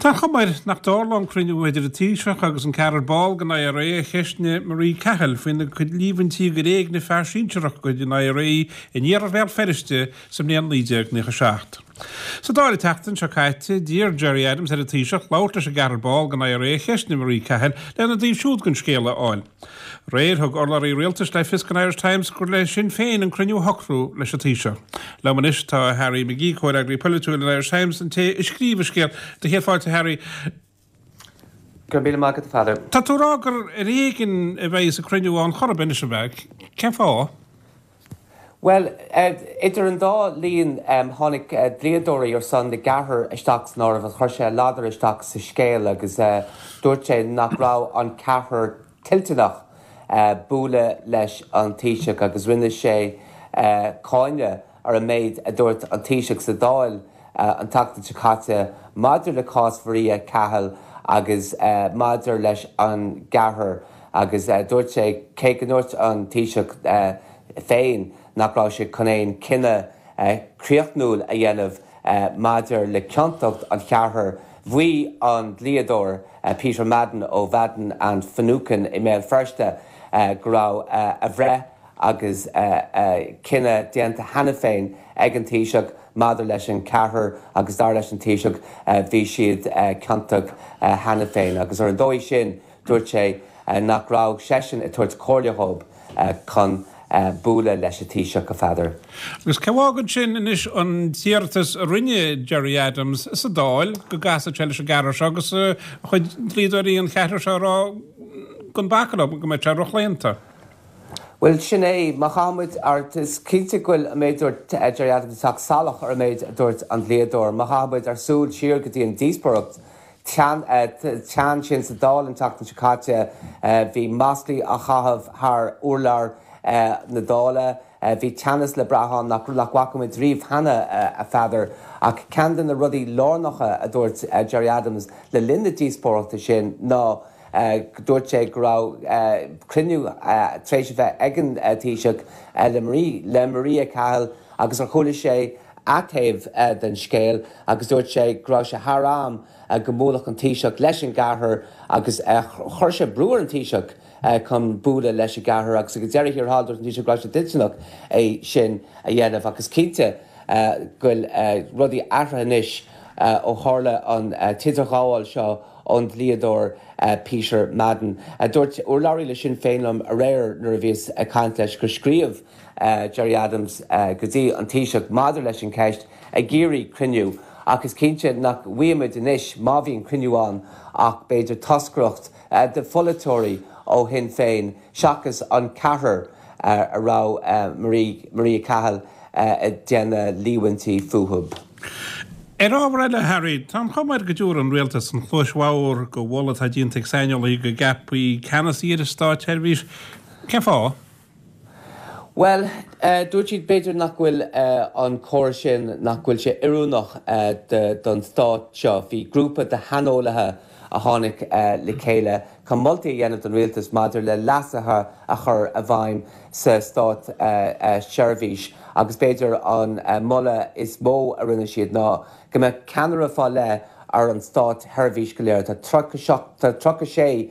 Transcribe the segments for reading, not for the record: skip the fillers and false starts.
Tá an chuma air nach dtarlóidh an cruinniú idir an Taoiseach agus an ceathrar ball den IRA a cheistnigh Marie Cahill faoina cuid líomhaintí gur éignigh fear sinsearach de chuid an IRA in iarthar Bhéal Feirste sa mbliain 1997. Sa Dáil an tseachtain seo caite, d'iarr Gerry Adams ar an Taoiseach labhairt leis an gceathrar ball den IRA a cheistnigh Marie Cahill lena dtaobh siúd den scéal a fháil. Aréir, thug urlabhraí rialtais le fios don Irish Times gur le Sinn Féin an cruinniú a shocrú leis an Taoiseach. Liom anois tá Harry McGee, comhfhreagraí polaitiúil an Irish Times, an té a scríobh an scéal. Do chéad fáilte, Harry. Go raibh míle maith agat, a Pheadair. Tá tú ag rá gur ar éigean a bheidh an cruinniú ann chor ar bith anois, ab ea? Cén fáth? Bhuel, idir an dá linn, tháinig dlíodóirí ar son na gceathrar isteach san áireamh agus chuir sé ladar isteach sa scéal agus dúirt sé nach raibh an ceathrar toilteanach bualadh leis an Taoiseach agus rinne sé cáineadh ar an méid a dúirt an Taoiseach sa Dáil an tseachtain seo caite maidir le cás Mharia Cahill agus maidir leis an gceathrar agus dúirt sé cé go ndúirt an Taoiseach féin nach raibh sé chun aon chinneadh críochnúil a dhéanamh maidir le ciontacht an cheathrair. Mhaígh an dlíodóir Peter Madden ó Madden and Finucane i mBéal Feirste go raibh a bhreith agus a chinneadh déanta cheana féin ag an Taoiseach maidir leis an cheathrar agus dar leis an Taoiseach bhí siad ciontach cheana féin agus ar an dóigh sin Dúirt sé nach raibh seisean ag tabhairt comhairle dhób chun bualadh leis an Taoiseach, a Pheadair. Agus cé fhágann sin anois an t-iarratas a rinne Gerry Adams sa Dáil go gcasfadh sé leis an gceathrar seo agus a chuid dlíodóirí an cheathrair seo ag rá go mbacfar leo, go mbeadh sé rochlaonta. Bhuel, sin é. Má chaithfidh muid ár, is cinnte go bhfuil an méid a dúirt Gerry Adams ag teacht salach ar an méid a dúirt an dlíodóir. Má chaithfidh muid ár súil siar go dtí an díospóireacht teann sin sa Dáil an tseachtain seo caite. Bhí maslaí á chaitheamh thar urlár na Dála. Bhí teannas le brath ann nach bhfaca muid riamh cheana, a Pheadair. Ach ceann de na rudaí lárnacha a dúirt Gerry Adams le linn na díospóireachta sin ná dúirt sé go raibh cruinniú tar éis a bheith ag an Taoiseach le Maria Cahill agus ar chuala sé a taobh den scéal agus dúirt sé go raibh sé thar am go mbuailfeadh an Taoiseach leis an gceathrar agus chuir sé brú ar an Taoiseach chun bualadh leis an gceathrar agus ag deireadh thiar thall dúirt an Taoiseach go raibh sé toilteanach é sin a dhéanamh ach is cinnte go bhfuil rudaí athraithe anois ó tharla an t-idirghabháil seo ón dlíodóir Peter Madden. Dúirt urlabhraí le Sinn Féin liom aréir nuair a bhíos ag caint leis gur scríobh Gerry Adams go dtí an Taoiseach maidir leis an cheist ag iarraidh cruinniú ach is cinnte nach bhfaighimid anois, má bhíonn cruinniú ann, ach b'fhéidir toscaireacht de pholaiteoirí ó Shinn Féin seachas an ceathrar a raibh Maria Cahill ag déanamh líomhaintí fúthu. Ar ábhar eile, Harry, tá an chuma air go dtiúrfaidh an Rialtas an chluais bhodhar do mholadh atá déanta ag saineolaithe go gceapfaí ceannasaí ar an státseirbhís. Cén fáth? Bhuel, dúirt siad b'fhéidir nach bhfuil an córas sin, nach bhfuil sé oiriúnach don stát seo. Bhí grúpa de shaineolaithe a tháinig le chéile chun moltaí a dhéanamh don rialtas maidir le leasuithe a chur i bhfeidhm sa státseirbhís agus b'fhéidir an moladh is mó a rinne siad ná go mbeadh ceannaire fá leith ar an státsheirbhís go léir. Tá 36,000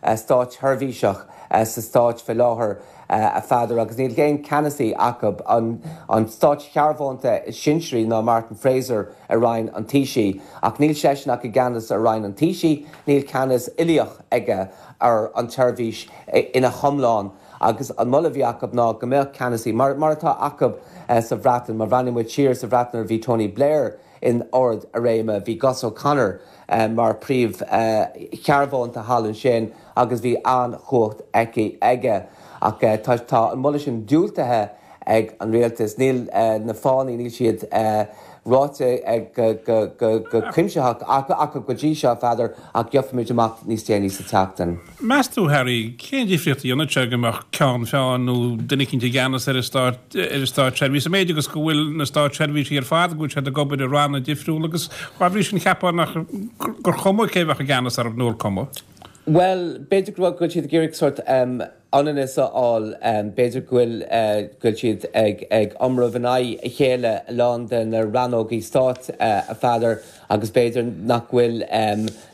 státsheirbhíseach sa stáit fé láthair, a Pheadair, agus níl aon ceannasaí acu. An státshearbhónta is sinsearaí ná Martin Fraser i Roinn an Taoisigh, ach níl seisean ach i gceannas ar Roinn an Taoisigh, níl ceannas uilíoch aige ar an tseirbhís ina hiomlán. Agus an moladh a bhí acu ná go mbeadh ceannasaí, mar atá acu sa Bhreatain, má bhreathnaíonn muid siar sa Bhreatain nuair a bhí Tony Blair in ard a réime, bhí Gus O'Connor mar príomh-shearbhónta thall ansin agus bhí an-chumhacht aici, aige. Ach tá an moladh sin diúltaithe ag an rialtas. Níl na fáthanna, níl siad ráite go cuimsitheach acu go dtí seo, a Pheadair, ach gheobhaimid amach níos déanaí sa tseachtain. Meas tú, Harry, cén difríocht a dhéanfadh sé go mbeadh ceann feadhna nó duine eicínt i gceannas ar an stát, ar an státseirbhís, an méid agus go bhfuil na státseirbhísigh ar fad, go bhfuil siad ag obair i ranna difriúla agus dá bhrí sin cheapfá nach, gur chuma cé bheadh i gceannas orthu nó ar cuma? Bhuel, b'fhéidir go bhfuil siad ag iarraidh sórt ionannas a fháil, b'fhéidir go bhfuil go bhfuil siad ag ag iomramh in aghaidh a chéile a lán de na rannógaí stáit, a Pheadair, agus b'fhéidir nach bhfuil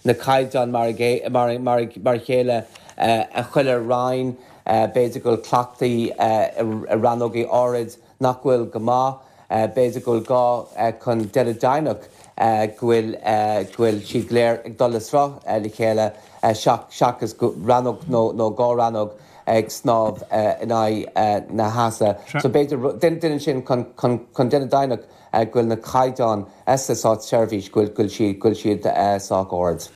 na caighdeáin mar mar mar mar a chéile i chuile roinn, b'fhéidir go bhfuil cleachtaí i rannógaí áirid nach bhfuil go maith. B'fhéidir go bhfuil gá chun déanamh deimhneach go bhfuil go bhfuil siad go léir ag dul le sruth le chéile seachas rannóg nó dhá rannóg ag snámh in aghaidh na heasa. So b'fhéidir déanann sin chun chun déanamh deimhneach go bhfuil na caighdeáin sa státseirbhís go bhfuil siad go bhfuil siad sách ard.